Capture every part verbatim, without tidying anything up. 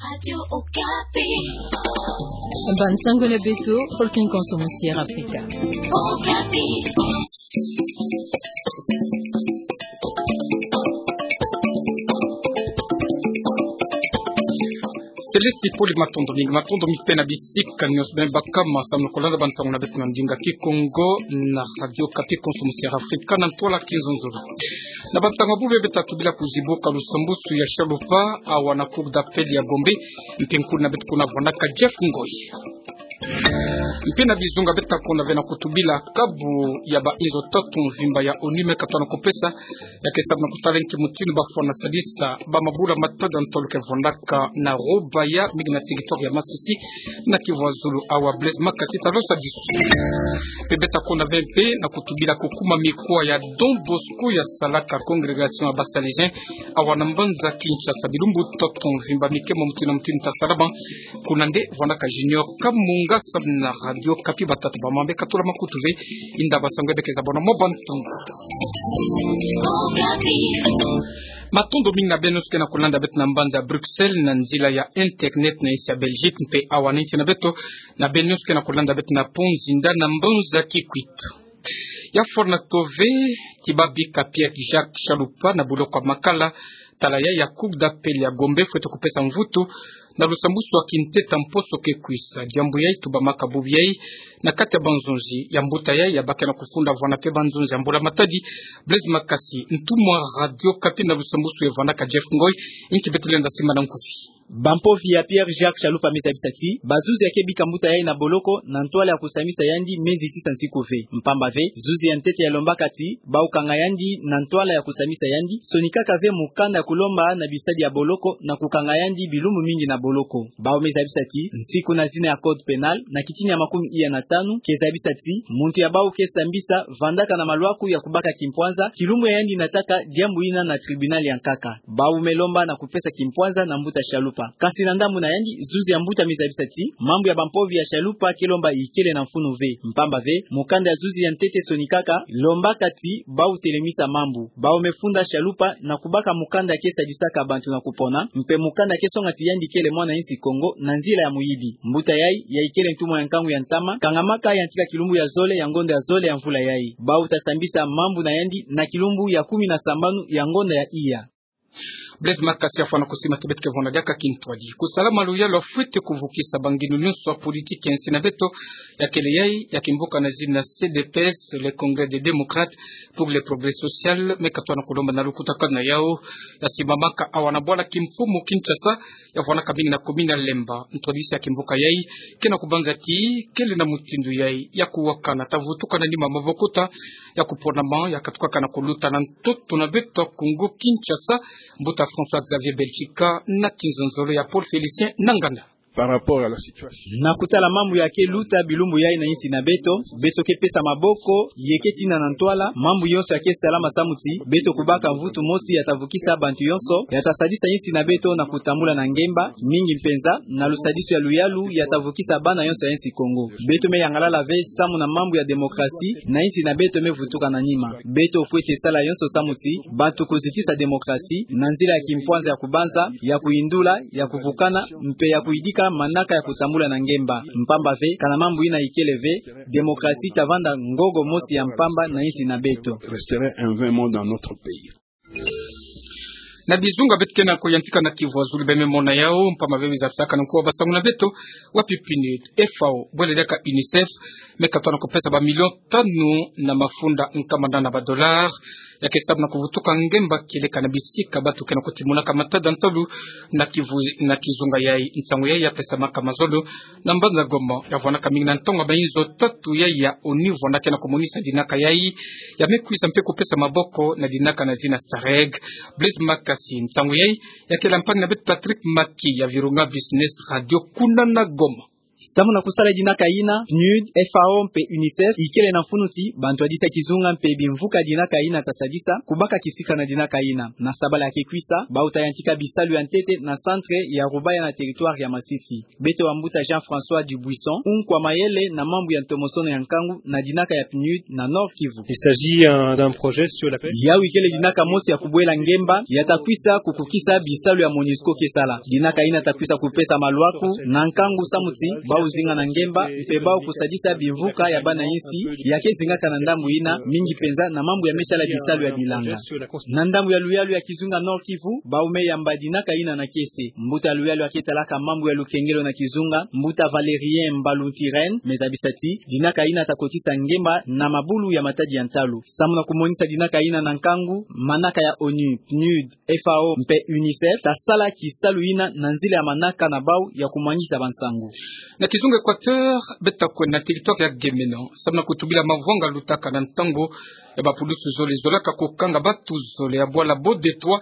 Radio Okapi. Ba nsangu na beto, pôle ki nkonso musi Air Afrika. Okapi. Selesi poli, matondo mingi, matondo mingi mpe na bisika nyonso beno baka ma samu na kolanda ba nsangu na beto na ndinga Kikongo na Radio Okapi, nkonso musi Air Afrika na ntwala kizunzulu. Na ba nsangu ya bubu beto tobila kuzibuka lusambwasu ya Shalupa, awa na Cour d'appel ya Gombe, mpe nkulu na beto kuna vwandaka Jeff Ngoy. Mpe na bizunga beto takonda ve na kutubila kabu ya ba inzo tatu mvimba ya ONU me katwa na kupesa, ya ke samu na kutala nki mutindu bafwana sadisa ba mabula matadi ya ntolo ke vwandaka na Rubaya, mingi na territoire ya Masisi, na Kivu ya Zulu. Awa Blaise Makasi talosa biso. Mpe beto takonda ve mpe na kutubila kukuma mikuwa ya Don Bosco ya salaka congrégation ya ba Salesiens, awa na mbanza Kinshasa, bilumbu tatu mvimba mike mo mutindu na mutindu tasalama. Kuna nde vwandaka Junior Kamunga samu na Radio Okapi. Batata bamama, katula makutu ve, inda ba nsangu ya beke za bwena mwa ba ntungu. Matondo mingi na beno nyonso ke na kulanda beto na mbanza Bruxelles na nzila ya internet na insi ya Belgique, mpe awa na insi na beto, na beno nyonso ke na kulanda beto na Pont Nzinda na mbanza Kikwit. Ya fwana tove, ti babika Pierre Jacques Shalupa na boloko ya makala, tala ya, ya Cour d'appel ya Gombe fwete kupesa mvutu na lusambwasu ya kintete mposo ke kwisa. Diambu yayi tubamaka bubu yayi na kati ya banzonzi ya mbuta yayi, ya bake na kufunda vwana mpe banzonzi ya mbula matadi. Blaise Makasi, ntumwa Radio Okapi, na lusambwasu ya vwandaka Jeff Ngoy, nki beto lenda simba na nkufi? Bampovi ya Pierre Jacques Shalupa me zabisa ti bazuzi ya ke bika mbuta yayi na boloko na ntwala ya kusambisa yandi me nzitisa nsiku ve. Mpamba ve, zuzi ya ntete ya lombaka ti bau kanga yandi na ntwala ya kusambisa yandi, sonikaka ve mukanda ya kulomba na bisadi ya boloko na kukanga yandi bilumbu mingi na boloko. Bau me zabisa ti nsiku na zina ya Code pénal, na kitini ya makumi iya na tanu, ke zabisa ti muntu ya bau ke sambisa vandaka na malwaku ya kubaka kimpwanza, kilumbu ya yandi nataka diambu yina na tribunal ya nkaka. Bau me lomba na kupesa kimpwanza na mbuta Shalupa. Kasi na ndambu na yandi, zuzi ya mbuta me zabisa ti mambu ya bampovi ya Shalupa ke lomba ikele na mfunu ve. Mpamba ve, mukanda ya zuzi ya ntete sonikaka lombaka ti bau telemisa mambu. Bau me funda Shalupa na kubaka mukanda ke sadisaka bantu na kupona, mpe mukanda ke songa ti yandi kele mwana insi Kongo na nzila ya muyibi. Mbuta yayi, ya ikele ntumwa ya nkangu ya ntama, kangamaka yantika kilumbu ya zole ya ngonda ya zole ya mvula yayi. Bau ta sambisa mambu na yandi na kilumbu ya kumi na sambanu ya ngonda ya iya. Blaise Makasi, ya fwana kusima ti beto ke vwanda diaka kintwadi. Kusala maluyalu ya fwete kuvukisa bangindu nyonso ya politiki ya insi na beto, ya kele yayi ya kimvuka na zina C D P S, le Congrès des Démocrates pour le Progrès Social, me katwa na kulomba na lukutakanu na yawu, ya simbamaka awa na bwala kimfumu Kinshasa, ya vwanaka mingi na commune ya Lemba. Ntwadisi ya kimvuka yayi ke na kubanza ti kele na mutindu yayi ya kuwakana, ta vutukana nima mabokota ya kuponama ya katukaka na kuluta na ntoto na beto ya Congo Kinshasa. Mbuta François Xavier Belchika na kinzonzolo ya Paul Félicien Nanganda. Par rapport à la situation. Na kutala mambu ya ke luta bilumbu yayi na insi na beto, beto ke pesa maboko, ye ke tina na ntwala mambu yonso ya ke salama samu ti beto kubaka mvutu mosi ya ta vukisa bantu yonso, ya ta sadisa insi na beto na kutambula na ngemba, mingi mpenza na lusadisu ya luyalu ya ta vukisa bana yonso ya insi Kongo. Beto me yangalala ve samu na mambu ya démocratie na insi na beto me vutuka na nima. Beto fwete sala yonso samu ti bantu kuzitisa démocratie na nzila ya kimpwanza ya kubanza, ya kuyindula, ya kuvukana, mpe ya kuyidika manaka ya kutambula na ngemba. Mpamba ve, kana mambu yina ikele ve, démocratie ta vanda ngogo mosi ya mpamba na insi na beto. Resterait un vain mot dans notre pays. Na bizunga beto ke na kuyantika na Kivu ya Zulu, beno me mona yawu, mpamba ve biza pisaka na nkuwa basangu na beto, wapi PNUD, FAO, bwele diaka UNICEF, me katwa na kupesa ba million tanu na mafunda nkama nana ba dollars, ya ke samu na kuvutuka ngemba kieleka na bisika bantu ke na kutimonaka matadi ya ntolo na Kivu, na kizunga yayi. Nsangu yayi ya pesamaka mazono na mbanza Goma, ya vwanaka mingi na ntangu ya ba inzo tatu yayi ya ONU vwanda ke na kumonisa dinaka yayi, ya me kwisa mpe kupesa maboko na dinaka na zina STAREG. Blaise Makasi, nsangu yayi ya kele mpangi na beto Patrick Maki ya Virunga Business Radio kuna na Goma. Samu na kusala dinaka ina, PNUD, FAO mpe UNICEF ikele na mfunu ti bantu ya disa kizunga mpe bimvuka dinaka ina ta sadisa kubaka kisika na dinaka ina. Na sabala ya kekwisa, bau ta yantika bisalu ya ntete na centre ya Rubaya na territoire ya Masisi. Beto wa mbuta Jean-François Dubuisson, unkwa mayele na mambu ya ntomosono ya nkangu na dinaka ya PNUD na Nord-Kivu. Il s'agit, euh, d'un projet sur la pêche. Yau ikele dinaka mosi ya kubwela ngemba, ya ta kwisa kukukisa bisalu ya MONUSCO ke sala. Dinaka ina ta kwisa kupesa malwaku na nkangu samu ti bau zinga na ngemba, mpe bau kusadisa bimvuka ya bana insi, ya ke zingaka na ndambu ina, mingi penza na mambu ya metala bisalu ya bilanga. Na ndambu ya luyalu ya kizunga Nord-Kivu, bau me yamba dinaka ina na kiese. Mbuta ya luyalu ya ke talaka mambu ya lukengelo na kizunga, mbuta Valérien Mbalu Ntirene, me zabisa ti dinaka ina ta kotisa ngemba na mabulu ya matadi ya ntalu. Samu na kumonisa dinaka ina na nkangu, manaka ya ONU, PNUD, FAO mpe UNICEF ta sala kisalu ina na nzila ya manaka na bau ya kumwangisa bansangu. Na kizunga Équateur, beto ta kwenda na territoire ya Gemena samu na kutubila mavwanga lutaka na ntangu ya bapulusu zole zolaka kukanga batu zole ya bwala Bodetoa,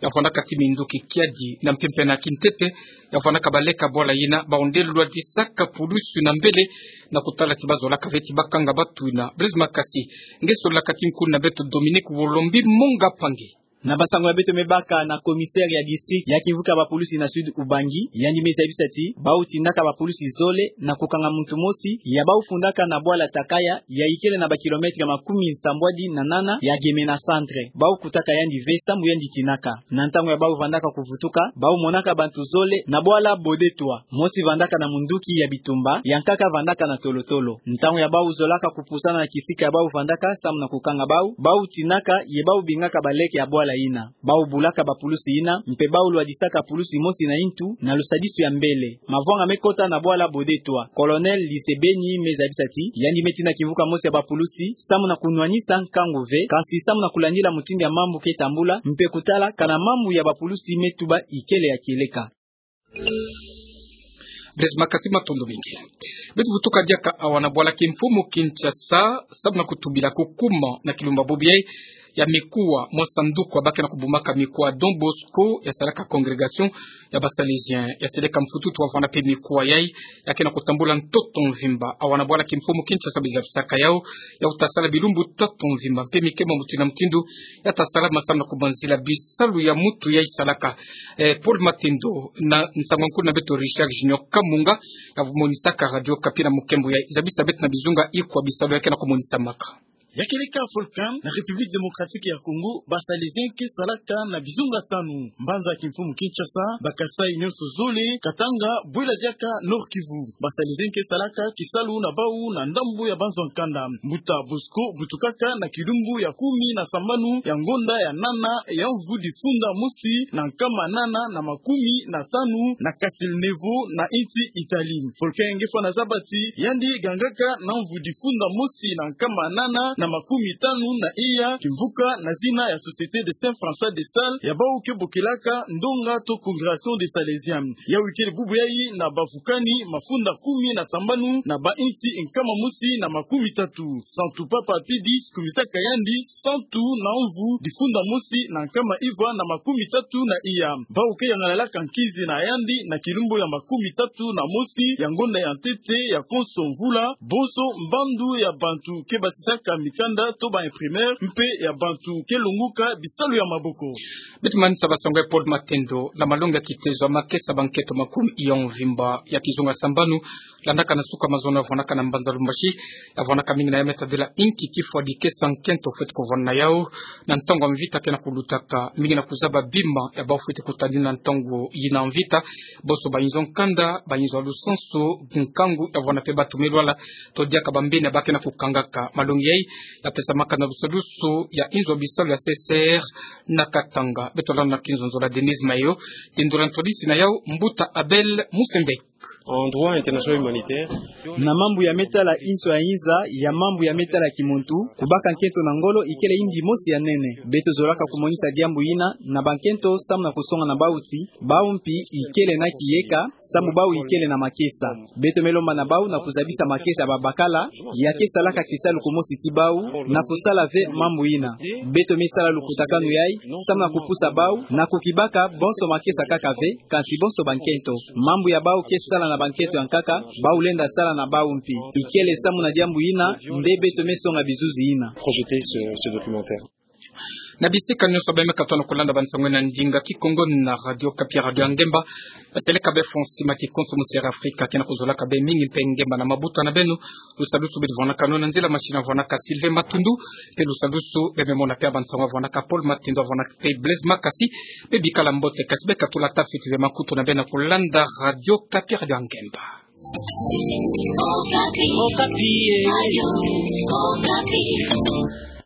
ya vwandaka ti minduki kiadi na mpimpa na kintete, ya vwandaka baleke ya bwala ina, bau nde lwadisaka pulusu na mbele, na kutala ti bazolaka ve ti bakanga batu ina. Blaise Makasi, nge sololaka ti nkuna beto Dominique Wolombi Monga Pangi. Na bansangu ya beto me baka na commissaire ya district ya kimvuka bapulusi na Sud Ubangi, yandi me zabisa ti bau tindaka bapulusi zole na kukanga muntu mosi ya bau fundaka na bwala Takaya, ya ikele na ba kilomètre makumi nsambwadi na nana ya Gemena centre. Bau kutaka yandi ve samu yandi tinaka. Na ntangu ya bau vandaka kuvutuka, bau monaka bantu zole na bwala Bodetoa. Mosi vandaka na munduki ya bitumba, ya nkaka vandaka na tolotolo. Ntangu ya bau zolaka kupusana na kisika ya bau vandaka samu na kukanga bau, bau tinaka ye bau bingaka baleke ya bwala ina. Bau bulaka bapulusi ina, mpe bau lwadisaka pulusi mosi na intu na lusadisu ya mbele. Mavwanga me kota na bwala Bodetoa. Colonel Lisebeni me zabisa ti yandi me tina kimvuka mosi ya bapulusi samu na kunwanisa nkangu ve, kansi samu na kulandila mutindu ya mambu ke tambula, mpe kutala kana mambu ya bapulusi me tuba ikele ya kieleka. Blaise Makasi, matondo mingi. Beto vutuka diaka awa na bwala kimfumu Kinshasa, samu na kutubila kukuma na kilumbu bubu yai ya mikuwa mwa sanduku ya ba ke na kubumaka mikuwa Don Bosco, ya salaka congrégation ya ba Salésien, ya seleka mfututu wa vwanda mpe mikuwa yai, ya ke na kutambula ntoto mvimba. Awa na bwala kimfumu Kinshasa, ba zabisaka yau, yau ta sala bilumbu tatu mvimba, mpe mike ma mutindu na mutindu ya ta sala masamu na kubanzila bisalu ya mutu yai salaka. Eh, Paul Matendo, na nsangu ya nkuna beto Richard Junior Kamunga, ya monisaka Radio Okapi na mukembo yai. Zabisa beto na bizunga ikwa bisalu ya ke na kumonisamaka. Ya kieleka volcan na République Démocratique ya Congo, ba Salésien ke salaka na bizunga tanu: mbanza kimfumu Kinshasa, ba Kasaï nyonso zole, Katanga, bwela diaka Nord-Kivu. Ba Salésien ke salaka kisalu na bau na ndambu ya banzo ya nkanda. Mbuta Bosco vutukaka na kilumbu ya kumi na sambanu ya ngonda ya nana ya mvu difunda mosi na nkama nana na makumi na tanu na Castelnuovo na insi Italie. Volcan nge fwana zaba ti yandi gangaka na mvu difunda mosi na nkama nana na makumi tanu na iya kimvuka na zina ya Société de Saint François de Sales, ya bau ke bokelaka ndonga to Congrégation des Salésiens. Yau ikele bubu yai na bavukani mafunda kumi na sambanu na ba insi nkama mosi na makumi tatu. Santu Papa Pie dix kumisaka yandi santu na mvu difunda mosi na nkama iva na makumi tatu na iya. Bau ke yangalalaka nkinzi na yandi na kilumbu ya makumi tatu na mosi ya ngonda ya ntete ya konso mvula, bonso mbandu ya bantu ke basisaka mikanda to ba imprimeurs, mpe ya bantu ke longoka bisalu ya maboko. Beto manisa basangu ya Paul Matendo na malongi ya kitezo ya makesa bankento makumi iya mvimba ya kizunga sambanu, landaka na suka mazono ya vwanaka na mbanza Lumbashi, ya vwanaka mingi na ya me tadila inki kifwa dikesa nkento fweti kuvwana na yau, na ntangu ya mvita ke na kulutaka, mingi na kuzaba bima ya bau fweti kutadila na ntangu yina mvita. Bonso bayinzo ya nkanda, bayinzo ya lusansu, nkangu ya vwana mpe batu me lwala, to diaka bambeni ya ba ke na kukangaka. Malongi yai ya pesamaka na lusadusu ya inzo ya bisalu ya C C R na Katanga. Beto landa na kinzonzolo ya Denise Mayo, tindula ntwadisi na yau mbuta Abel Musende. En droit international humanitaire. Na mambu ya me tala inso ya inza, ya mambu ya me tala kimuntu, kubaka nkento na ngolo ikele yingi mosi ya nene. Beto zolaka kumonisa diambu yina na bankento samu na kusonga na bau ti bau mpi ikele na kiyeka, samu bau ikele na makesa. Beto me lomba na bau na kuzabisa makesa ya babakala ya ke salaka kisalu kumosi ti bau, na kusala ve mambu yina. Beto me sala lukutakanu yai samu na kupusa bau na kukibaka bonso makesa kaka ve, kansi bonso bankento. Mambu ya bau ke sala na bankento ya nkaka, bau lenda sala na bau mpi. Ikele samu na diambu yina, nde beto me songa bizuzi yina. Projeter ce, ce documentaire. Na bisika nyonso beme katona kolanda bansango na ndinga Kikongo na Radio Okapi, Radio ya Ngemba. Baseleka be Fonsi Maki Konso Musere Afrika, ke na kuzolaka be mingi mpe ngemba na mabuta na beno. Lusalusu bidi vwanakano na nzila machine, avwanaka Sylvain Matundu. Mpe lusalusu beme mona mpe bansango, avwanaka Paul Matindo, avwanaka mpe Blaise Makasi. Bebikala mbote, kasi bekatula tafiti be makutu na beno na kolanda Radio Okapi, Radio ya Ngemba. Okapi. Okapi, eh.